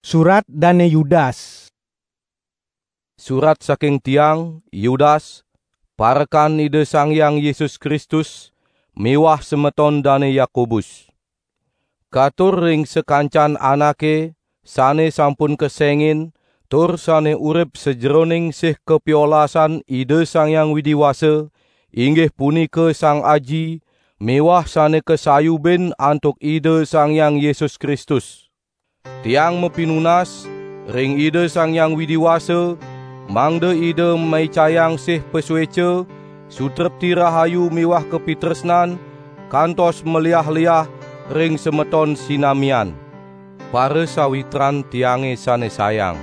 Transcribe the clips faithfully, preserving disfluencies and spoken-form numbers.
Surat dane Yudas. Surat saking tiang, Yudas, parekan Ida Sang Hyang Yesus Kristus, miwah semeton dane Yakobus. Katur ring sakancan anake sane sampun kesengin tur sane urip sajeroning sih kapiolasan Ida Sang Hyang Widi Wasa, inggih punika Sang Aji, miwah sane kasayubin antuk Ida Sang Hyang Yesus Kristus. Tiang mapinunas ring Ida Sang Hyang Widi Wasa, mangda Ida maicayang sih pasueca, sutrepti rahayu miwah kapitresnan, kantos maliah-liah ring semeton sinamian. Parasawitran tiange sane sayang,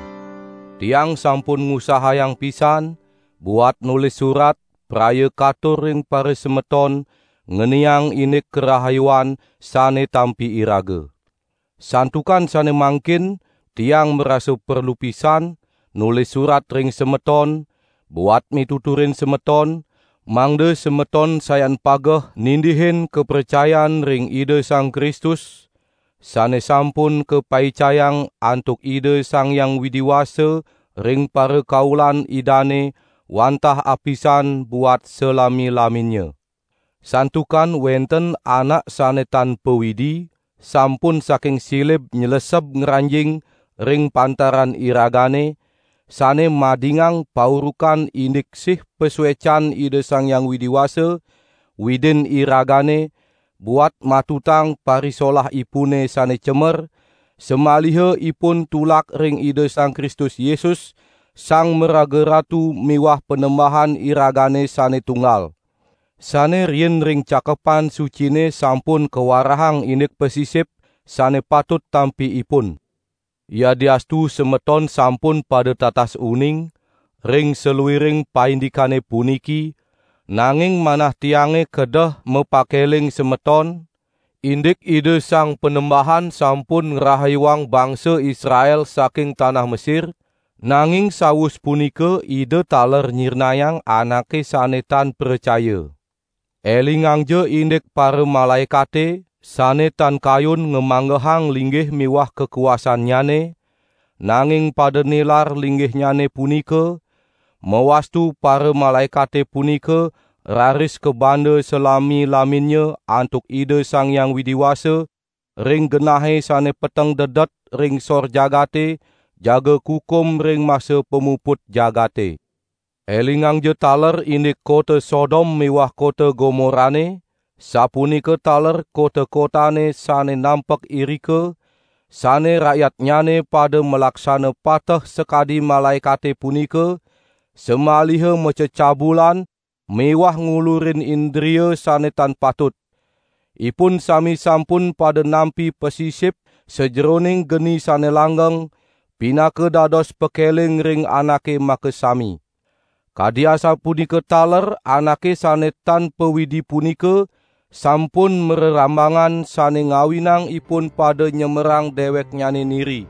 tiang sampun ngusahayang pisan buat nulis surat praya katur ring parasemeton ngeniang indik karahayuan sane tampi iraga. Santukan sane mangkin tiang marasa perlu pisan nulis surat ring semeton, buat mituturin semeton, mangda semeton sayan pageh nindihin kapracayan ring Ida Sang Kristus, sane sampun kapaicayang antuk Ida Sang Hyang Widi Wasa ring parakaulan Idane wantah apisan buat salami-laminnya. Santukan wenten anak sane tan pawidi, sampun saking silib nyleseb ngranjing ring pantaran iragane, sane madingang paurukan indik sih pasuecan Ida Sang Hyang Widi Wasa, Widin iragane, buat matutang parisolahipune sane cemer, samaliha ipun tulak ring Ida Sang Kristus Yesus, Sang Maraga Ratu miwah Panembahan iragane sane tunggal. Sane riin ring Cakepan Sucine sampun kawarahang indik pasisip sane patut tampi ipun. Yadiastu semeton sampun pada tatas uning ring saluiring paindikane puniki, nanging manah tiange kedeh mapakeling semeton, indik Ida Sang Panembahan sampun ngrahayuang bangsa Israel saking tanah Mesir, nanging sawus punika Ida taler nyirnayang anake sane tan pracaya. Elingangja indik paramalaekate sane tan kayun ngamanggehang linggih miwah kakuasannyane, nanging pada nilar linggihnyane punika, mawastu paramalaekate punika raris kabanda salami-laminnya antuk Ida Sang Hyang Widi Wasa, ring genahe sane peteng dedet ring sor jagate, jaga kukum ring masa pamuput jagate. Elingangja taler indik kota Sodom miwah kota Gomorane, sapunika taler kota-kotane sane nampek irika, sane rakyatnyane pada malaksana pateh sakadi malaekate punika, samaliha macecabulan miwah ngulurin indria sane tan patut. Ipun sami sampun pada nampi pasisip sajeroning geni sane langgeng, pinaka dados pakeling ring anake makasami. Kadi asapunika taler anake sane tan pawidi punika sampun mrerambangan sane ngawinang ipun pada nyemerang deweknyane niri.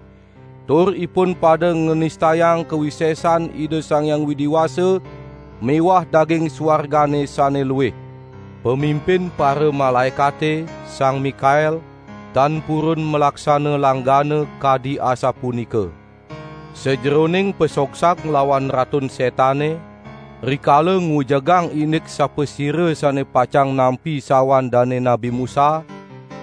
Tur ipun pada nganistayang kawisesan Ida Sang Hyang Widi Wasa miwah daging suargane sane luih. Pamimpin paramalaekate, Sang Mikael, tan purun malaksana langgana kadi asapunika. Sajeroning pasogsag nglawan Ratun Setane, rikala ngujegang indik sapasira sane pacang nampi sawan Dane Nabi Musa,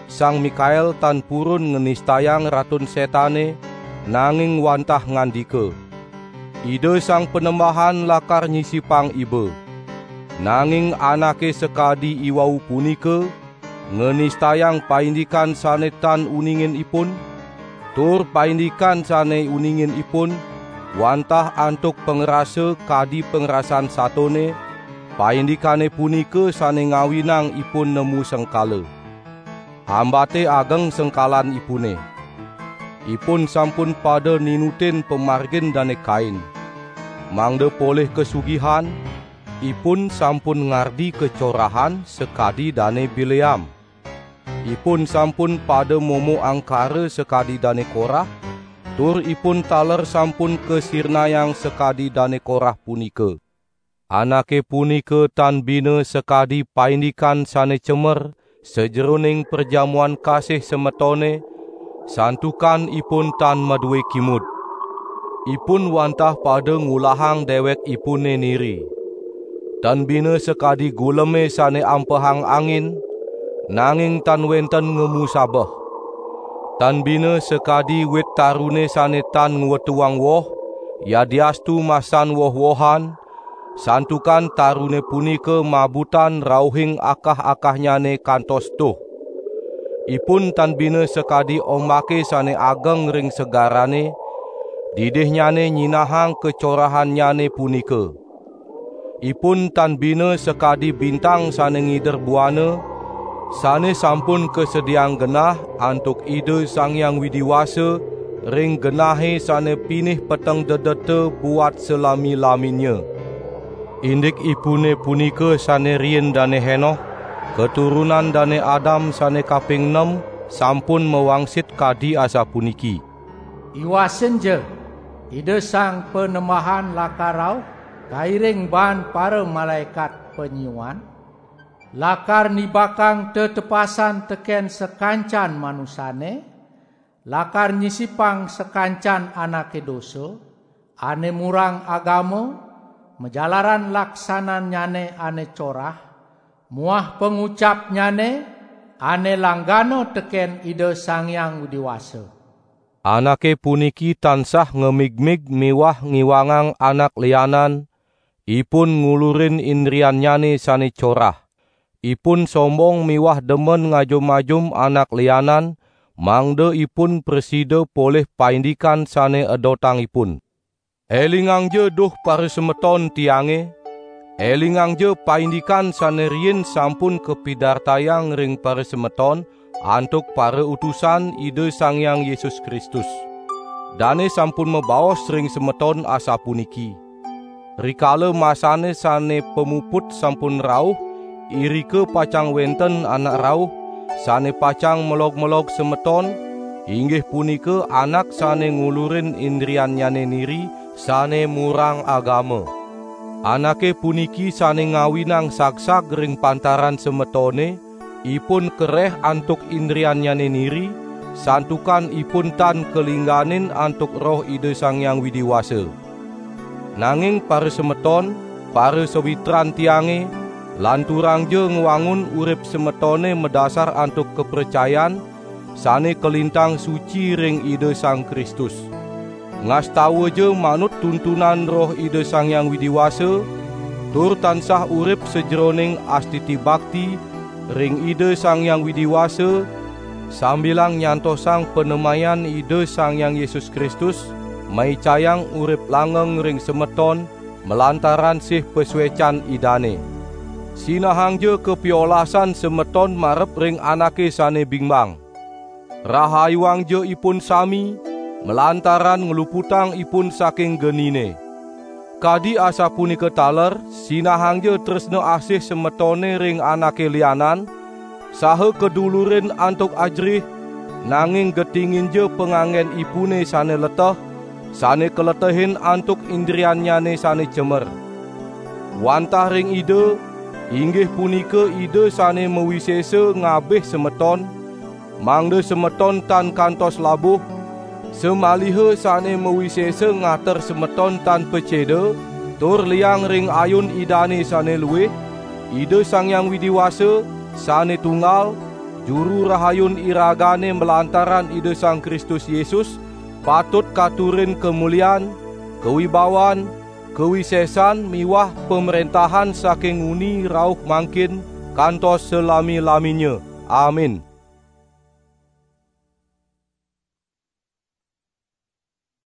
Sang Mikael tan purun nganistayang Ratun Setane, nanging wantah ngandika, "Ida Sang Panembahan lakar nyisipang iba." Nanging anake sakadi iwau punika nganistayang paindikan sane tan uningin ipun, tur paindikan sane uningin ipun, wantah antuk pangrasa kadi pangrasan satone, paindikane punika sane ngawinang ipun nemu sengkala. Ambate ageng sengkalanipune. Ipun sampun pada ninutin pamargin Dane Kain. Mangda polih kasugihan, ipun sampun ngardi kacorahan sakadi Dane Bileam. Ipun sampun pada momo angkara sakadi Dane Korah, tur ipun taler sampun kasirnayang sakadi Dane Korah punika. Anake punika tan bina sakadi paindikan sane cemer sajeroning perjamuan kasih semetone, Santukan ipun tan madue kimud. Ipun wantah pada ngulahang dewekipune niri. Tan bina sakadi guleme sane ampehang angin, nanging tan wenten ngemu sabeh. Tan bina sakadi wit tarune sane tan ngwetuang woh, yadiastu masan woh-wohan, santukan tarune punika mabutan rauhing akah-akahnyane kantos tuh. Ipun tan bina sakadi ombake sane ageng ring segarane, didihnyane nyinahang kacorahannyane punika. Ipun tan bina sakadi bintang sane ngider buana, sane sampun kasediaang genah antuk Ida Sang Hyang Widi Wasa ring genahe sane pinih peteng dedeta buat salami-laminnya. Indikipune punika sane riin Dane Henoh, katurunan Dane Adam sane kaping nem, sampun mawangsit kadi asapuniki: Iwasinja, Ida Sang Panembahan lakar rauh, kairing baan paramalaekat panyiuan, lakar nibakang tetepasan teken sakancan manusane, lakar nyisipang sakancan anake dosa, ane murang agama, majalaran laksanannyane ane corah, muah pangucapnyane ane langgana teken Ida Sang Hyang Widi Wasa. Anake puniki tansah ngemigmig miwah ngiwangang anak lianan, ipun ngulurin indriannyane sane corah. Ipun sombong miwah demen ngajum-ajum anak lianan, mangda ipun prasida polih paindikan sane edotang ipun. Elingangja duh parasemeton tiange, elingangja paindikan sane riin sampun kapidartayang ring parasemeton antuk parautusan Ida Sang Hyang Yesus Kristus. Dane sampun mabaos ring semeton asapuniki: Rikala masane sane pamuput sampun rauh, irika pacang wenten anak rauh, sane pacang melog-melog semeton, inggih punika anak sane ngulurin indriannyane niri, sane murang agama. Anake puniki sane ngawinang sagsag ring pantaran semetone, ipun kereh antuk indriannyane niri, santukan ipun tan kalingganin antuk Roh Ida Sang Hyang Widi Wasa. Nanging parasemeton, parasawitran tiange, lanturangja ngwangun urip semetone madasar antuk kapracayan sane kalintang suci ring Ida Sang Kristus. Ngastawaja manut tuntunan Roh Ida Sang Hyang Widi Wasa, tur tansah urip sajeroning astiti bakti ring Ida Sang Hyang Widi Wasa, sambilang nyantosang panemayan Ida Sang Hyang Yesus Kristus, maicayang urip langgeng ring semeton malantaran sih pasuecan Idane. Sinahangja kapiolasan semeton marep ring anake sane bimbang. Rahayuangja ipun sami, malantaran ngluputang ipun saking genine. Kadi asapunika taler, sinahangja tresna asih semetone ring anake lianan, saha kadulurin antuk ajerih, nanging getinginja panganggenipune sane leteh, sane kaletehin antuk indriannyane sane cemer. Wantah ring Ida, inggih punika Ida sane mawisesa ngabih semeton, mangda semeton tan kantos labuh, samaliha sane mawisesa ngater semeton tan paceda, tur liang ring ayun Idane sane luih, Ida Sang Hyang Widi Wasa, sane tunggal, Juru Rahayun iragane malantaran Ida Sang Kristus Yesus, patut katurin kamulian, kawibawan, kawisesan miwah pamrentahan saking nguni rauh mangkin kantos salami-laminnya. Amin.